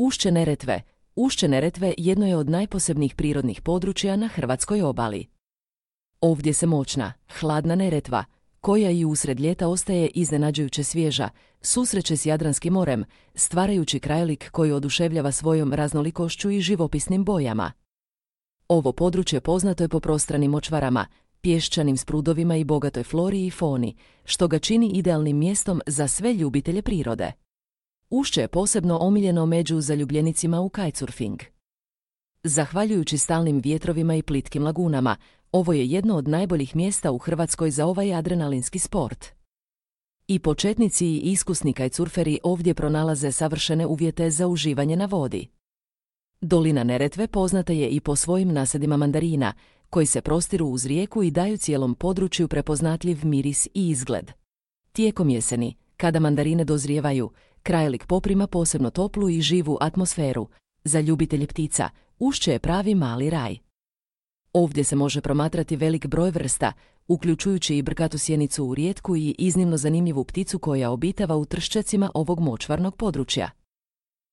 Ušće Neretve. Ušće Neretve jedno je od najposebnijih prirodnih područja na hrvatskoj obali. Ovdje se moćna, hladna Neretva, koja i usred ljeta ostaje iznenađujuće svježa, susreće s Jadranskim morem, stvarajući krajolik koji oduševljava svojom raznolikošću i živopisnim bojama. Ovo područje poznato je po prostranim močvarama, pješčanim sprudovima i bogatoj flori i foni, što ga čini idealnim mjestom za sve ljubitelje prirode. Ušće je posebno omiljeno među zaljubljenicima u kitesurfing. Zahvaljujući stalnim vjetrovima i plitkim lagunama, ovo je jedno od najboljih mjesta u Hrvatskoj za ovaj adrenalinski sport. I početnici i iskusni kitesurferi ovdje pronalaze savršene uvjete za uživanje na vodi. Dolina Neretve poznata je i po svojim nasadima mandarina, koji se prostiru uz rijeku i daju cijelom području prepoznatljiv miris i izgled. Tijekom jeseni, kada mandarine dozrijevaju, krajolik poprima posebno toplu i živu atmosferu. Za ljubitelje ptica, ušće je pravi mali raj. Ovdje se može promatrati velik broj vrsta, uključujući i brkatu sjenicu u rijetku i iznimno zanimljivu pticu koja obitava u trščecima ovog močvarnog područja.